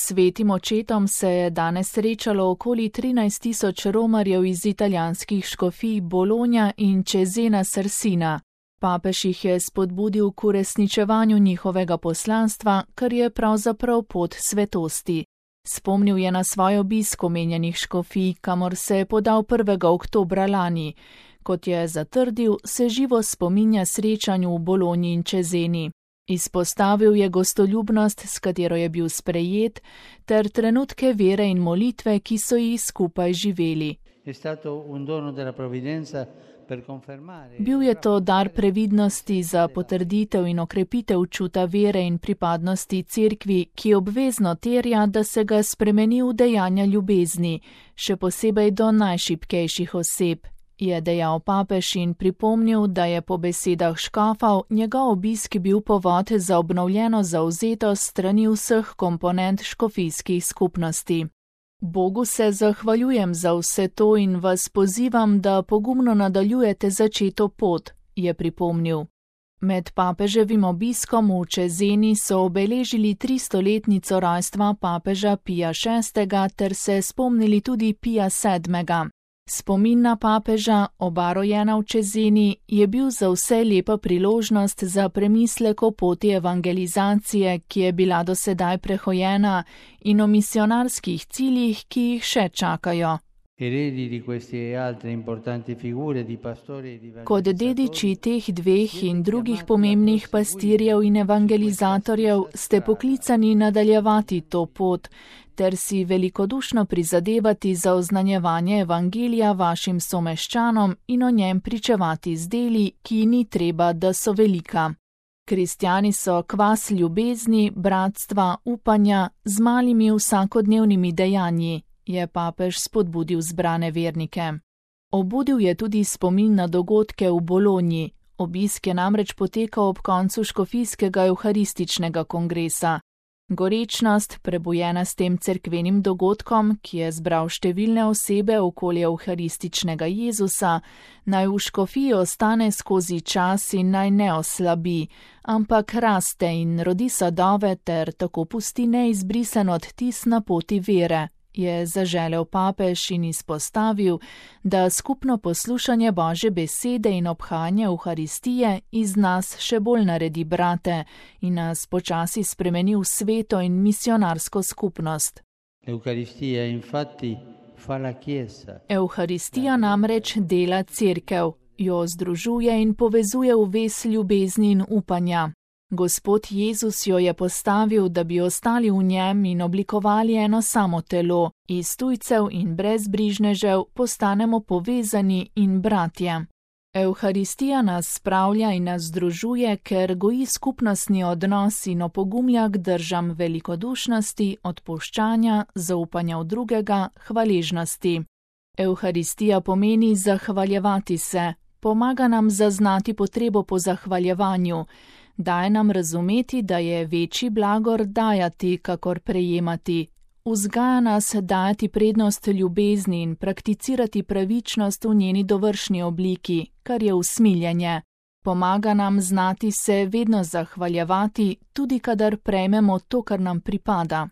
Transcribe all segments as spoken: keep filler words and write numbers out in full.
Svetim očetom se je danes srečalo okoli trinajst tisoč romarjev iz italijanskih škofij Bologna in Cesena Sarsina. Papež jih je spodbudil k uresničevanju njihovega poslanstva, kar je pravzaprav pot svetosti. Spomnil je na svoj obisk omenjenih škofij, kamor se je podal prvega oktobra lani. Kot je zatrdil, se živo spominja srečanju v Bologni in Ceseni. Izpostavil je gostoljubnost, s katero je bil sprejet, ter trenutke vere in molitve, ki so jih skupaj živeli. Bil je to dar previdnosti za potrditev in okrepitev čuta vere in pripadnosti cerkvi, ki obvezno terja, da se ga spremeni v dejanja ljubezni, še posebej do najšibkejših oseb, je dejal papež in pripomnil, da je po besedah škofov njegov obisk bil povod za obnovljeno zavzetost strani vseh komponent škofijskih skupnosti. Bogu se zahvaljujem za vse to in vas pozivam, da pogumno nadaljujete začeto pot, je pripomnil. Med papeževim obiskom v Ceseni so obeležili tristoletnico rojstva papeža Pija šestega ter se spomnili tudi Pija sedmega. Spomin na papeža, oba rojena v Ceseni, je bil za vse lepa priložnost za premislek o poti evangelizacije, ki je bila do sedaj prehojena, in o misionarskih ciljih, ki jih še čakajo. Kot dediči teh dveh in drugih pomembnih pastirjev in evangelizatorjev ste poklicani nadaljevati to pot, ter si velikodušno prizadevati za oznanjevanje evangelija vašim someščanom in o njem pričevati z deli, ki ni treba, da so velika. Kristjani so kvas ljubezni, bratstva, upanja z malimi vsakodnevnimi dejanji, je papež spodbudil zbrane vernike. Obudil je tudi spomin na dogodke v Bologni. Obisk je namreč potekal ob koncu škofijskega evharističnega kongresa. Gorečnost, prebujena s tem cerkvenim dogodkom, ki je zbral številne osebe okoli evharističnega Jezusa, naj v škofiji ostane skozi čas in naj ne oslabi, ampak raste in rodi sadove ter tako pusti neizbrisen odtis na poti vere, je zaželel papež in izpostavil, da skupno poslušanje Božje besede in obhajanje Evharistije iz nas še bolj naredi brate in nas počasi spremeni v sveto in misionarsko skupnost. Evharistija namreč dela cerkev, jo združuje in povezuje v vez ljubezni in upanja. Gospod Jezus jo je postavil, da bi ostali v njem in oblikovali eno samo telo. Iz tujcev in brezbrižnežev postanemo povezani in bratje. Evharistija nas spravlja in nas združuje, ker goji skupnostni odnos in opogumlja k držam velikodušnosti, odpuščanja, zaupanja v drugega, hvaležnosti. Evharistija pomeni zahvaljevati se, pomaga nam zaznati potrebo po zahvaljevanju, daje nam razumeti, da je večji blagor dajati, kakor prejemati. Vzgaja nas dajati prednost ljubezni in prakticirati pravičnost v njeni dovršni obliki, kar je usmiljenje. Pomaga nam znati se vedno zahvaljevati, tudi kadar prejmemo to, kar nam pripada.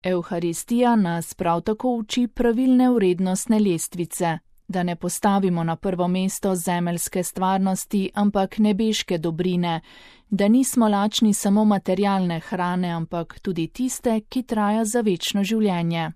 Evharistija nas prav tako uči pravilne vrednostne lestvice, da ne postavimo na prvo mesto zemeljske stvarnosti, ampak nebeške dobrine, da nismo lačni samo materialne hrane, ampak tudi tiste, ki traja za večno življenje.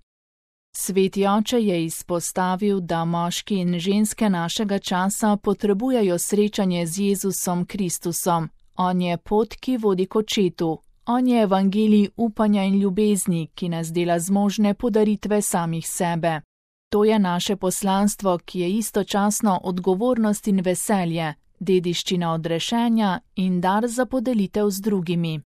Sveti oče je izpostavil, da moški in ženske našega časa potrebujejo srečanje z Jezusom Kristusom. On je pot, ki vodi k očetu. On je evangelij upanja in ljubezni, ki nas dela zmožne podaritve samih sebe. To je naše poslanstvo, ki je istočasno odgovornost in veselje, dediščina odrešenja in dar za podelitev z drugimi.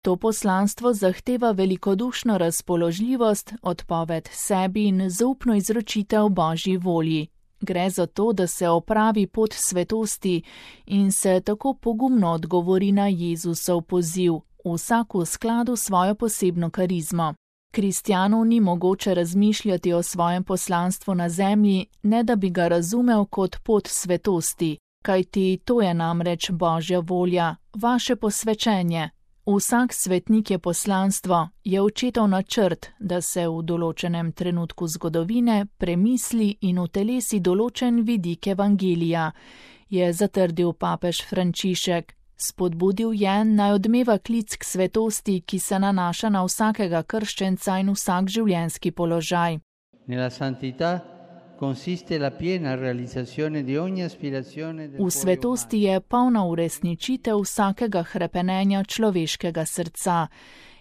To poslanstvo zahteva velikodušno razpoložljivost, odpoved sebi in zaupno izročitev Božji volji. Gre za to, da se opravi pot svetosti in se tako pogumno odgovori na Jezusov poziv, vsak v skladu s svojo posebno karizmo. Kristjanu ni mogoče razmišljati o svojem poslanstvu na zemlji, ne da bi ga razumel kot pot svetosti, kajti to je namreč Božja volja, vaše posvečenje. Vsak svetnik je poslanstvo, je očetov načrt, da se v določenem trenutku zgodovine premisli in utelesi določen vidik evangelija, je zatrdil papež Frančišek. Spodbudil je, naj odmeva klic k svetosti, ki se nanaša na vsakega krščenca in vsak življenjski položaj. V svetosti je polna uresničitev vsakega hrepenenja človeškega srca.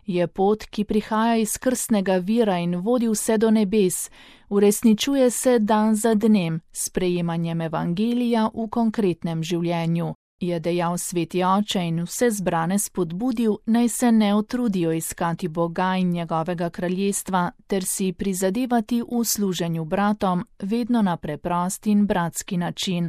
Je pot, ki prihaja iz krstnega vira in vodi vse do nebes, uresničuje se dan za dnem s prejemanjem evangelija v konkretnem življenju. Je dejal sveti oče in vse zbrane spodbudil, naj se ne utrudijo iskati Boga in njegovega kraljestva ter si prizadevati v služenju bratom vedno na preprost in bratski način.